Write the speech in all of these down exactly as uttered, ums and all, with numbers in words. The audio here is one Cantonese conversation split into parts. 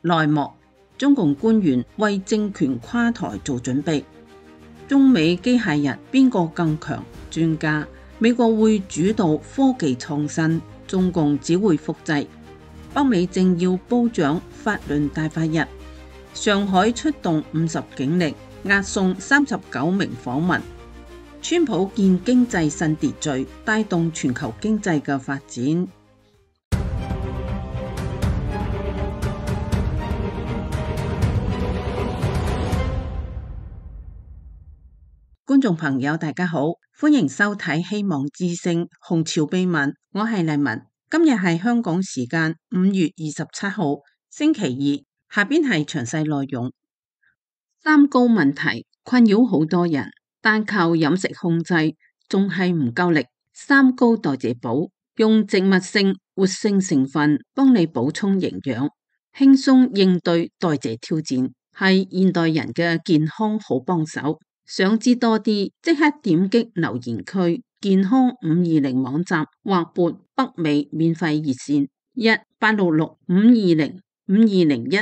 內幕，中共官員為政權垮台做準備。中美機械人邊個更強？專家，美國會主導科技創新，中共只會複製。北美政要褒獎法輪大法日。上海出動五十警力押送三十九名訪民。川普建經濟新秩序，帶動全球經濟嘅發展。觀眾朋友大家好，歡迎收睇希望之聲紅潮秘聞，我係麗文。今日係香港時間五月二十七號星期二，下邊係詳細內容。三高問題困擾好多人，單靠飲食控制仲係唔夠力。三高代謝寶用植物性活性成分幫你補充營養，輕鬆應對代謝挑戰，係現代人嘅健康好幫手。想知多啲，即刻點擊留言區健康五二零網站或撥北美免費熱線一八六六五二零五二零一。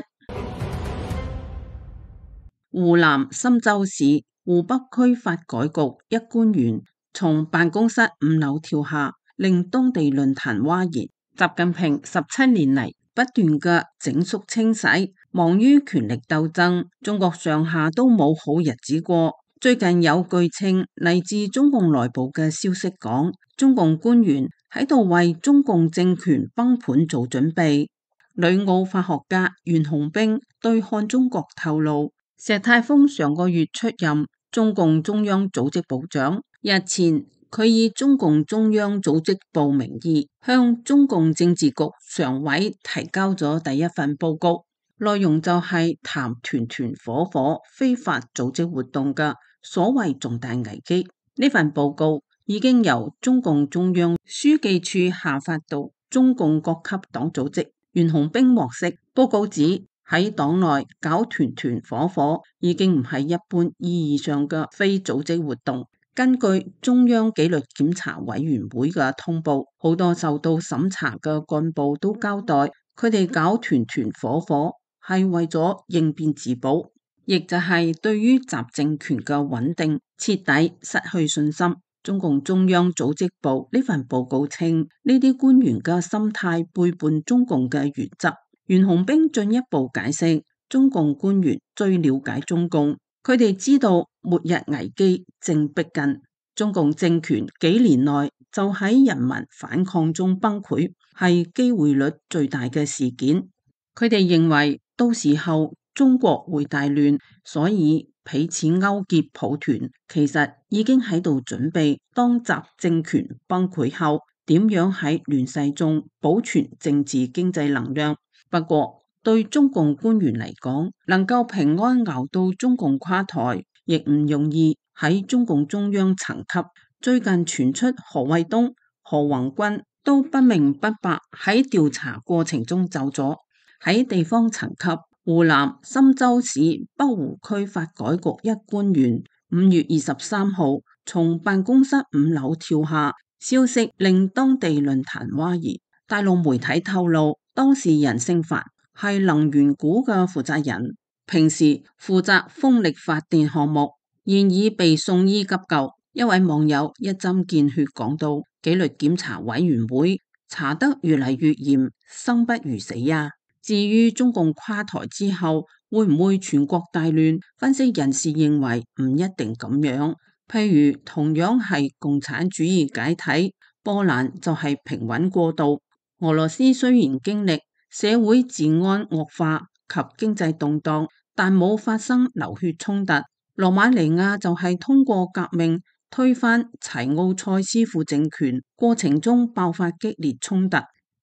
湖南郴州市湖北區發改局一官員從辦公室五樓跳下，令當地論壇譁然。習近平十七年嚟不斷嘅整肅清洗，忙於權力鬥爭，中國上下都冇好日子過。最近有據稱嚟自中共內部嘅消息講，中共官員喺度為中共政權崩盤做準備。旅澳法學家袁洪兵對漢中國透露，石泰峰上個月出任中共中央組織部長，日前佢以中共中央組織部名義向中共政治局常委提交咗第一份報告，內容就係談團團伙伙非法組織活動嘅所謂重大危機。呢份報告已經由中共中央書記處下發到中共各級黨組織。袁洪兵獲悉，報告指喺黨內搞團團伙伙已經唔係一般意義上嘅非組織活動。根據中央紀律檢查委員會嘅通報，好多受到審查嘅幹部都交代，佢哋搞團團伙伙係為咗應變自保，亦就係對於習政權嘅穩定徹底失去信心。中共中央組織部呢份報告稱，呢啲官員嘅心態背叛中共嘅原則。袁洪兵進一步解釋，中共官員最了解中共，佢哋知道末日危機正逼近，中共政權幾年內就喺人民反抗中崩潰，係機會率最大嘅事件。佢哋認為到時候中國會大亂，所以彼此勾結抱團，其實已經喺度準備當習政權崩潰後點樣喺亂世中保存政治經濟能量。不過對中共官員嚟講，能夠平安熬到中共垮台亦唔容易。喺中共中央層級，最近傳出何衛東、何宏軍都不明不白喺調查過程中走咗。喺地方層級，湖南郴州市北湖區發改局一官員五月二十三號從辦公室五樓跳下，消息令當地論壇譁然。大陸媒體透露，當事人姓樊，係能源股嘅負責人，平時負責風力發電項目，現已被送醫急救。一位網友一針見血講到，紀律檢查委員會查得越嚟越嚴，生不如死呀。至於中共垮台之後會唔會全國大亂，分析人士認為唔一定咁樣。譬如同樣係共產主義解體，波蘭就係平穩過渡。俄羅斯雖然經歷社會治安惡化及經濟動盪，但冇發生流血衝突。羅馬尼亞就係通過革命推翻齊奧塞斯副政權，過程中爆發激烈衝突。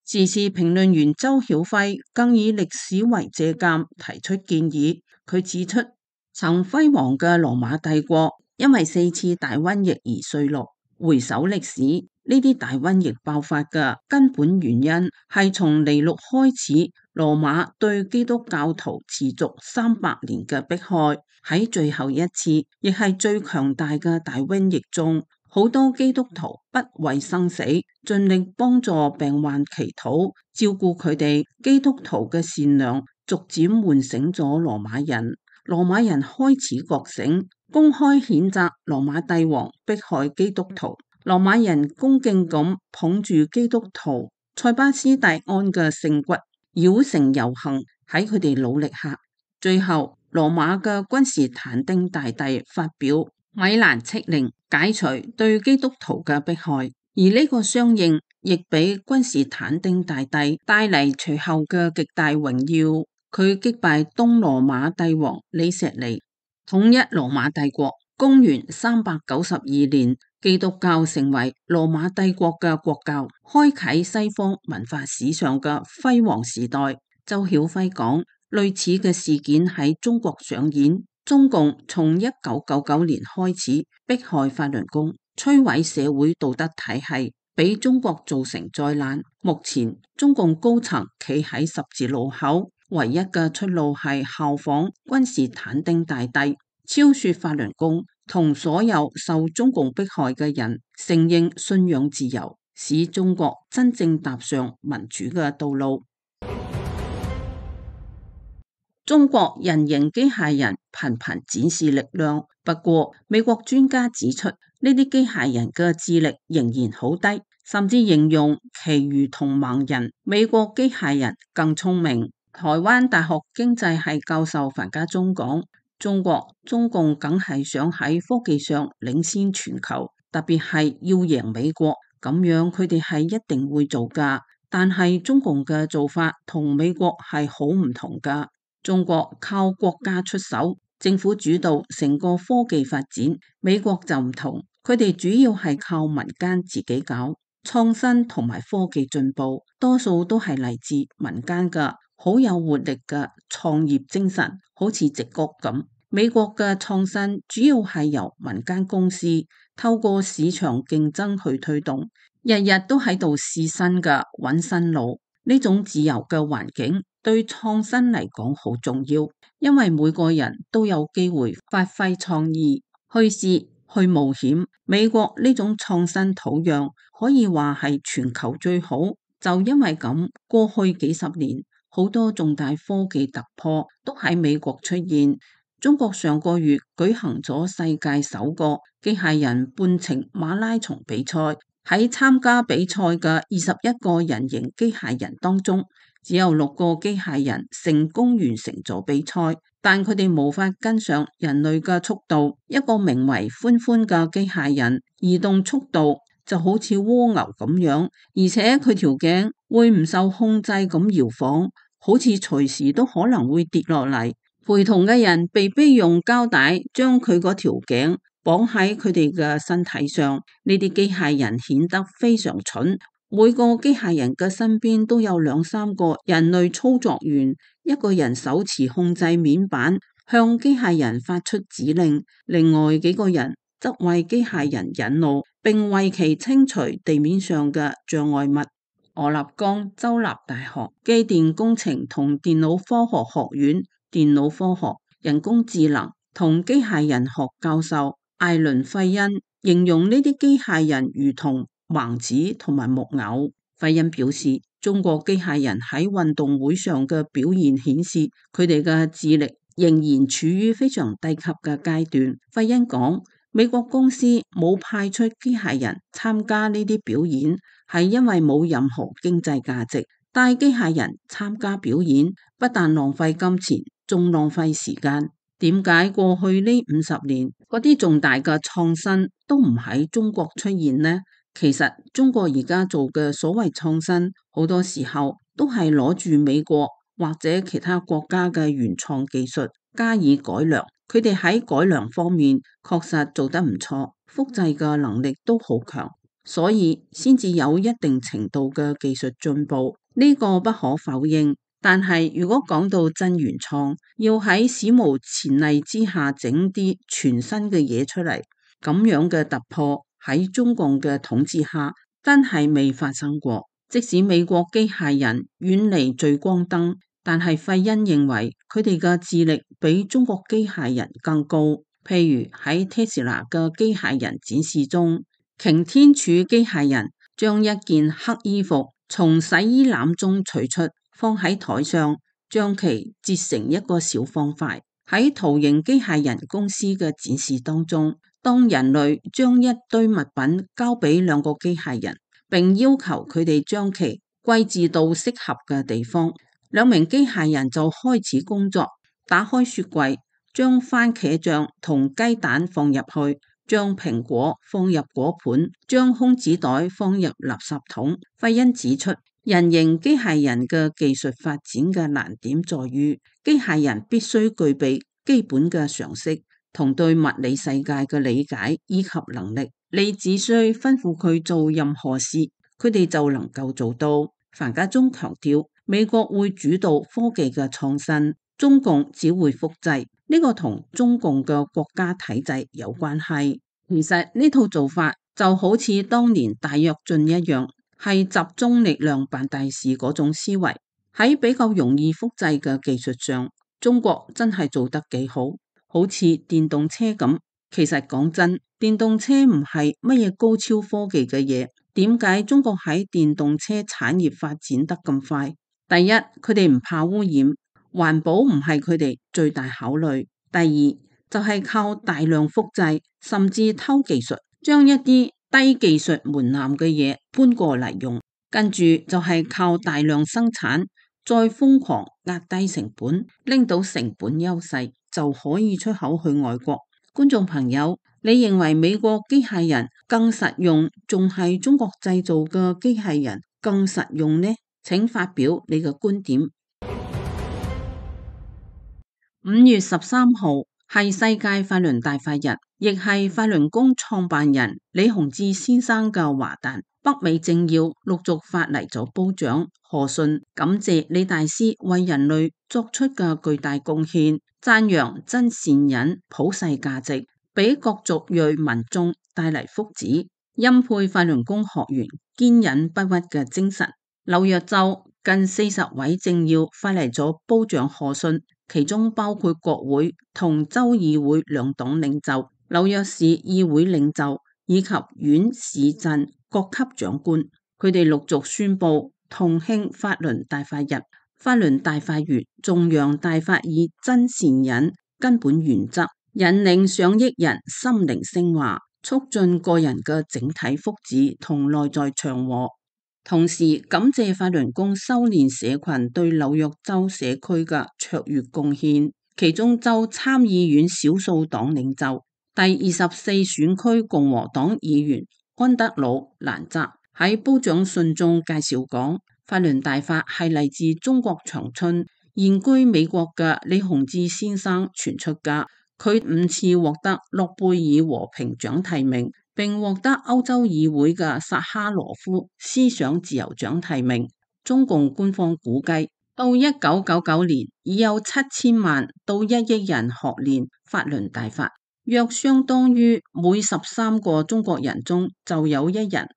時事評論員周曉輝更以歷史為借鑑，提出建議。佢指出，曾輝煌嘅羅馬帝國因為四次大瘟疫而衰落。回首歷史，呢啲大瘟疫爆發嘅根本原因係從尼祿開始，羅馬對基督教徒持續三百年嘅迫害。喺最後一次，亦係最強大嘅大瘟疫中，好多基督徒不畏生死，盡力幫助病患祈禱，照顧佢哋。基督徒嘅善良逐漸喚醒咗羅馬人。羅馬人開始覺醒，公開譴責羅馬帝王迫害基督徒。羅馬人恭敬咁捧住基督徒塞巴斯蒂安嘅聖骨，繞城遊行。喺佢哋努力下，最後羅馬嘅君士坦丁大帝發表米蘭敕令，解除對基督徒嘅迫害。而呢個相應亦俾君士坦丁大帝帶嚟隨後嘅極大榮耀。佢擊敗東羅馬帝王李石尼，統一羅馬帝國。公元三百九十二年，基督教成為羅馬帝國嘅國教，開啟西方文化史上嘅輝煌時代。周曉輝講，類似嘅事件喺中國上演。中共從一九九九年開始迫害法輪功，摧毀社會道德體系，俾中國造成災難。目前中共高層企喺十字路口，唯一嘅出路係效仿君士坦丁大帝，超說法輪功，同所有受中共迫害嘅人承認信仰自由，使中國真正踏上民主嘅道路。中國人形機械人頻頻展示力量，不過美國專家指出，呢啲機械人嘅智力仍然好低，甚至形容其如同盲人。美國機械人更聰明。台灣大學經濟系教授樊家忠講，中國中共梗係想喺科技上領先全球，特別係要贏美國，咁樣佢哋係一定會做㗎。但係中共嘅做法同美國係好唔同㗎。中國靠國家出手，政府主導成個科技發展，美國就唔同，佢哋主要係靠民間自己搞創新同埋科技進步，多數都係嚟自民間嘅好有活力嘅創業精神，好似矽谷咁。美國嘅創新主要係由民間公司透過市場競爭去推動，日日都喺度試新嘅揾新路。呢種自由嘅環境對創新嚟講好重要，因為每個人都有機會發揮創意，去試去冒險。美國呢種創新土壤可以話係全球最好，就因為咁，過去幾十年好多重大科技突破都喺美國出現。中國上個月舉行咗世界首個機械人半程馬拉松比賽。喺參加比賽嘅二十一個人形機械人當中，只有六個機械人成功完成咗比賽，但佢哋無法跟上人類嘅速度。一個名為歡歡嘅機械人，移動速度就好似蝸牛咁樣，而且佢條頸會唔受控制咁搖晃，好似隨時都可能會跌落嚟。陪同嘅人被逼用膠帶將佢嗰條頸綁喺佢哋嘅身體上，呢啲機械人顯得非常蠢。每個機械人嘅身邊都有兩三個人類操作員，一個人手持控制面板向機械人發出指令，另外幾個人則為機械人引路，並為其清除地面上嘅障礙物。俄勒岡州立大學機電工程同電腦科學學院電腦科學、人工智能同機械人學教授艾倫費恩形容呢啲機械人如同盲子同埋木偶。費恩表示，中國機械人喺運動會上嘅表現顯示，佢哋嘅智力仍然處於非常低級嘅階段。費恩講，美國公司冇派出機械人參加呢啲表演，係因為冇任何經濟價值。帶機械人參加表演，不但浪費金錢，仲浪費時間。點解過去呢五十年嗰啲重大嘅創新都唔喺中國出現呢？其實中國而家做嘅所謂創新，好多時候都係攞住美國或者其他國家嘅原創技術加以改良。佢哋喺改良方面確實做得唔錯，複製嘅能力都好強，所以先至有一定程度嘅技術進步，呢個不可否認。但係如果講到真原創，要喺史無前例之下整啲全新嘅嘢出嚟，咁樣嘅突破喺中共嘅統治下真係未發生過。即使美國機械人遠離聚光燈，但係費恩認為佢哋嘅智力比中國機械人更高。譬如喺 Tesla 嘅機械人展示中，擎天柱機械人將一件黑衣服從洗衣籃中取出，放喺台上，將其折成一個小方塊。喺圖形機械人公司嘅展示當中，當人類將一堆物品交俾兩個機械人，並要求佢哋將其歸置到適合嘅地方，兩名機械人就開始工作，打開雪櫃，將番茄醬同雞蛋放入去，將蘋果放入果盤，將空紙袋放入垃圾桶。費恩指出，人形機械人嘅技術發展嘅難點在於，機械人必須具備基本嘅常識同對物理世界嘅理解以及能力。你只需吩咐佢做任何事，佢哋就能夠做到。樊家忠強調，美國會主導科技嘅創新，中共只會複製。呢個同中共嘅國家體制有關係。其實呢套做法就好似當年大躍進一樣，係集中力量辦大事嗰種思維。喺比較容易複製嘅技術上，中國真係做得幾好，好似電動車咁。其實講真，電動車唔係乜嘢高超科技嘅嘢，點解中國喺電動車產業發展得咁快？第一，佢哋唔怕污染。環保唔係佢哋最大考慮。第二就係靠大量複製，甚至偷技術，將一啲低技術門檻嘅嘢搬過嚟用。跟住就係靠大量生產，再瘋狂壓低成本，拎到成本優勢就可以出口去外國。觀眾朋友，你認為美國機械人更實用，仲係中國製造嘅機械人更實用呢？請發表你嘅觀點。五月十三號係世界法輪大法日，亦係法輪功創辦人李洪志先生嘅華誕。北美政要陸續發嚟咗褒獎賀信，感謝李大師為人類作出嘅巨大貢獻，讚揚真善忍普世價值，俾各族裔民眾帶嚟福祉，欽佩法輪功學員堅忍不屈嘅精神。紐約州近四十位政要發嚟咗褒獎賀信，其中包括國會同州議會兩黨領袖、紐約市議會領袖以及縣市鎮各級長官。佢哋陸續宣布同慶法輪大法日。法輪大法月頌揚大法以真善忍根本原則，引領上億人心靈升華，促進個人嘅整體福祉同內在祥和。同時感謝法輪功修煉社群對紐約州社區嘅卓越貢獻，其中州參議院少數黨領袖、第二十四選區共和黨議員安德魯蘭澤喺褒獎信中介紹講，法輪大法係嚟自中國長春現居美國嘅李洪志先生傳出嘅，佢五次獲得諾貝爾和平獎提名，並獲得歐洲議會嘅薩哈羅夫思想自由獎提名。中共官方估計，到一九九九年已有七千萬到一億人學練法輪大法，約相當於每十三個中國人中就有一人。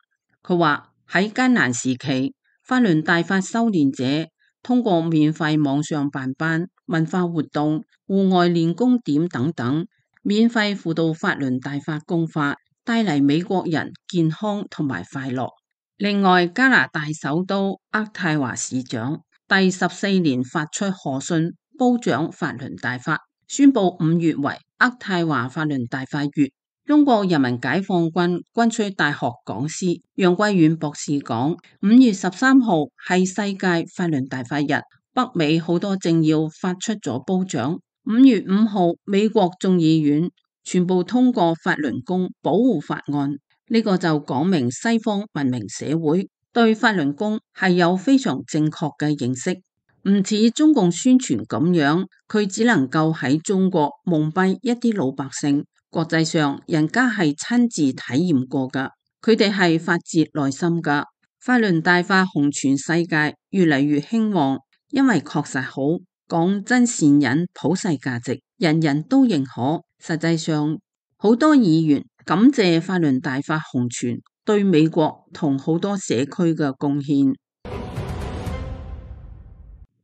佢話喺艱難時期，法輪大法修煉者通過免費網上辦班、文化活動、戶外練功點等等，免費輔導法輪大法功法，帶嚟美國人健康同埋快樂。另外，加拿大首都渥太華市長第十四年發出賀信，褒獎法輪大法，宣布五月為渥太華法輪大法月。中國人民解放軍軍需大學講師楊貴遠博士講，五月十三號係世界法輪大法日，北美好多政要發出咗褒獎。五月五號，美國眾議院全部通過法輪功保護法案，呢個就講明西方文明社會對法輪功係有非常正確嘅認識，唔似中共宣傳咁樣，佢只能夠喺中國蒙蔽一啲老百姓。國際上人家係親自體驗過噶，佢哋係發自內心噶。法輪大法紅傳世界，越嚟越興旺，因為確實好，講真善忍普世價值，人人都認可。實際上好多議員感謝法輪大法紅傳對美國同好多社區嘅貢獻。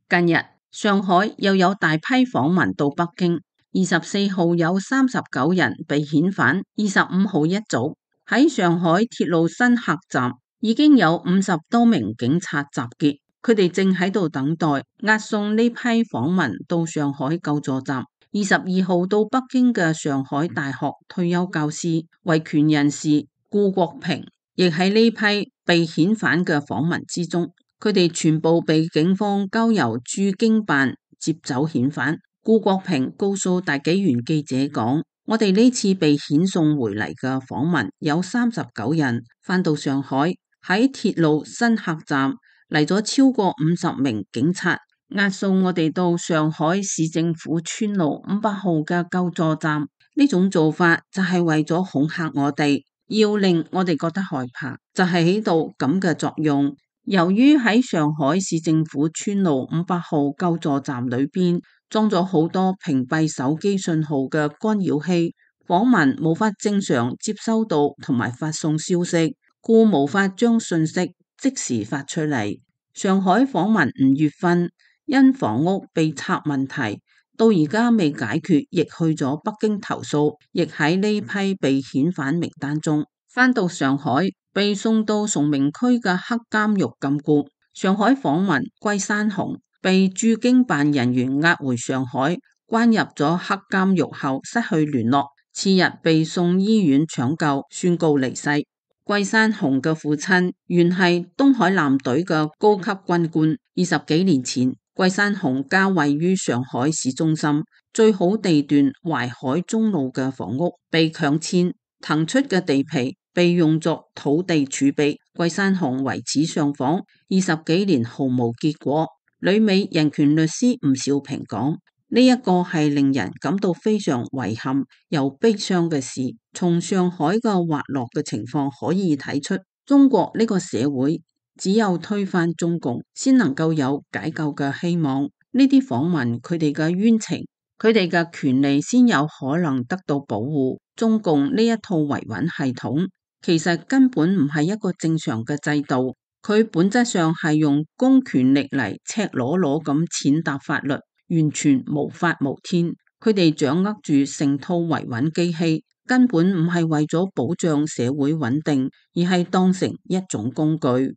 近日上海又有大批訪民到北京，二十四號有三十九人被遣返，二十五號一早喺上海鐵路新客站已經有五十多名警察集結，佢哋正喺度等待押送呢批訪民到上海救助站。二十二號到北京嘅上海大學退休教師、維權人士顧國平，亦喺呢批被遣返嘅訪民之中。佢哋全部被警方交由駐京辦接走遣返。顧國平告訴大紀元記者講：我哋呢次被遣送回嚟嘅訪民有三十九人，返到上海喺鐵路新客站嚟咗超過五十名警察，押送我哋到上海市政府村路五百號嘅救助站。呢種做法就係為咗恐嚇我哋，要令我哋覺得害怕，就係起到咁嘅作用。由於喺上海市政府村路五百號救助站裏邊裝咗好多屏蔽手機信號嘅干擾器，訪民無法正常接收到同埋發送消息，故無法將信息即時發出嚟。上海訪民吳月芬因房屋被拆問題到而家未解決，亦去咗北京投訴，亦喺呢批被遣返名單中。返到上海被送到崇明區嘅黑監獄禁錮。上海訪民桂山紅被駐京辦人員押回上海，關入咗黑監獄後失去聯絡，次日被送醫院搶救，宣告離世。桂山紅嘅父親原係東海艦隊嘅高級軍官，二十幾年前桂山紅家位於上海市中心最好地段淮海中路嘅房屋被強遷，騰出嘅地皮被用作土地儲備。桂山紅為此上訪，二十幾年毫無結果。旅美人權律師吳兆平講：呢一個係令人感到非常遺憾又悲傷嘅事。從上海嘅滑落嘅情況可以睇出，中國呢個社會只有推翻中共，先能夠有解救嘅希望。呢啲訪民佢哋嘅冤情，佢哋嘅權利先有可能得到保護。中共呢一套維穩系統其實根本唔係一個正常嘅制度，佢本質上係用公權力嚟赤裸裸咁踐踏法律，完全無法無天。佢哋掌握住成套維穩機器，根本唔係為咗保障社會穩定，而係當成一種工具。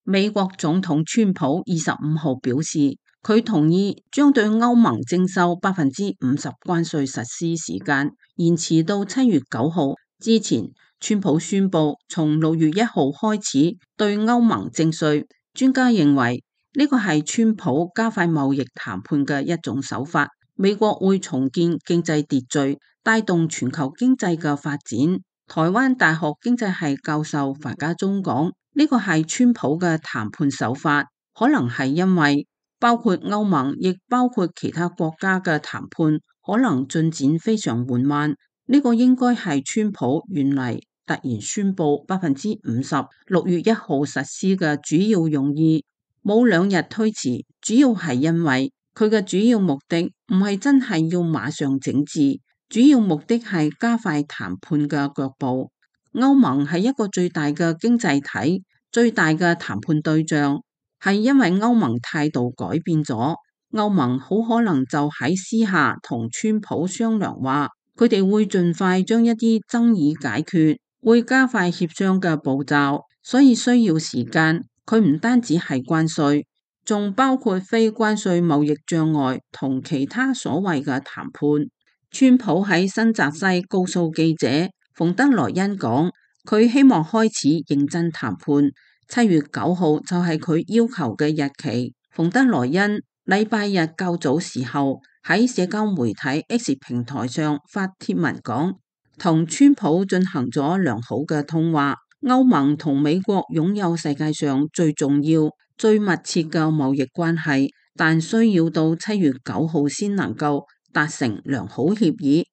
美國總統川普二十五號表示，佢同意將對歐盟徵收百分之五十關稅實施時間延遲到七月九號之前。川普宣布從六月一號開始對歐盟徵稅。專家認為呢個係川普加快貿易談判嘅一種手法。美國會重建經濟秩序，帶動全球經濟嘅發展。台灣大學經濟系教授樊家忠講，呢個係川普嘅談判手法，可能係因為包括歐盟亦包括其他國家嘅談判可能進展非常緩慢。呢個應該係川普原嚟突然宣布百分之五十六月一號實施嘅主要用意，冇兩日推遲，主要係因為佢嘅主要目的唔係真係要馬上整治，主要目的係加快談判嘅腳步。歐盟係一個最大嘅經濟體，最大嘅談判對象，係因為歐盟態度改變咗，歐盟好可能就喺私下同川普商量話，佢哋會盡快將一啲爭議解決，會加快協商嘅步驟，所以需要時間。佢唔單止係關稅，仲包括非關稅貿易障礙同其他所謂嘅談判。川普喺新澤西告訴記者，馮德萊恩講，佢希望開始認真談判，七月九號就係佢要求嘅日期。馮德萊恩禮拜日較早時候喺社交媒體 X 平台上發帖文講，同川普進行咗良好嘅通話。歐盟同美國擁有世界上最重要、最密切嘅貿易關係，但需要到七月九號先能夠達成良好協議。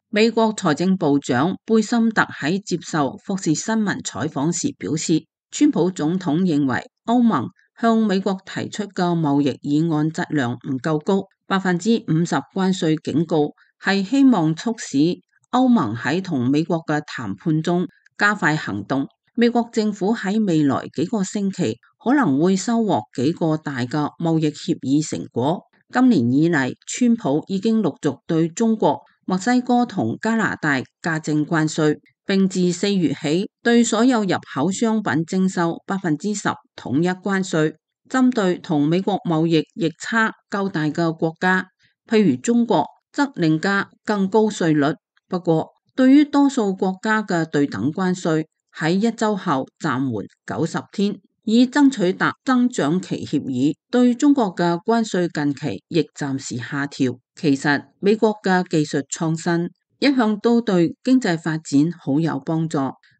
美國財政部長貝森特喺接受福士新聞採訪時表示，川普總統認為歐盟向美國提出嘅貿易議案質量唔夠高，百分之五十關稅警告係希望促使歐盟喺同美國嘅談判中加快行動。美國政府喺未來幾個星期可能會收穫幾個大嘅貿易協議成果。今年以嚟，川普已經陸續對中國、墨西哥同加拿大加徵關稅，並自四月起對所有入口商品徵收百分之十統一關稅。針對同美國貿易逆差較大嘅國家，譬如中國，則另加更高稅率。不過，對於多數國家嘅對等關稅喺一周後暫緩九十天，以爭取達增長期協議。對中國嘅關稅近期亦暫時下調。其實美國嘅技術創新一向都對經濟發展好有幫助，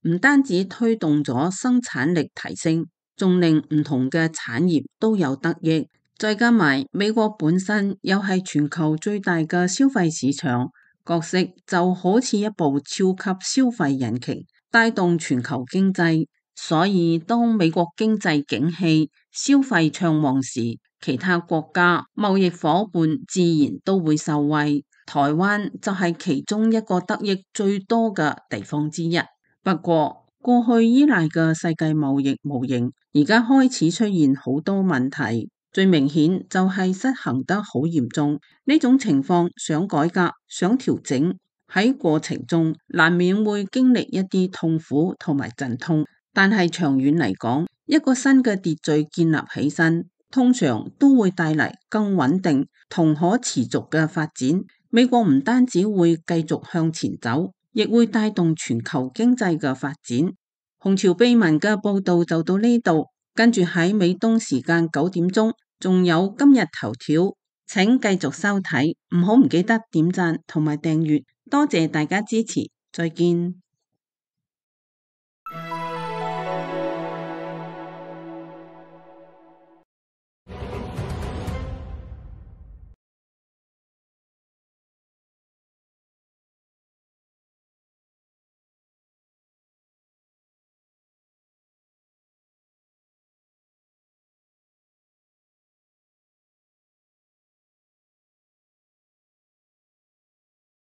唔單止推動咗生產力提升，仲令唔同嘅產業都有得益。再加埋美國本身又係全球最大嘅消費市場，角色就好似一部超級消費引擎，帶動全球經濟。所以當美國經濟景氣、消費暢旺時，其他國家貿易夥伴自然都會受惠。台灣就係其中一個得益最多嘅地方之一。不過過去依賴嘅世界貿易模型，而家開始出現好多問題。最明顯就係失衡得好嚴重，呢種情況想改革、想調整，喺過程中難免會經歷一啲痛苦同埋陣痛。但係長遠嚟講，一個新嘅秩序建立起身，通常都會帶嚟更穩定同可持續嘅發展。美國唔單止會繼續向前走，亦會帶動全球經濟嘅發展。紅潮秘聞嘅報道就到呢度，跟住喺美東時間九點鐘。仲有今日頭條，請繼續收睇，唔好唔記得點讚同埋訂閱，多謝大家支持，再見。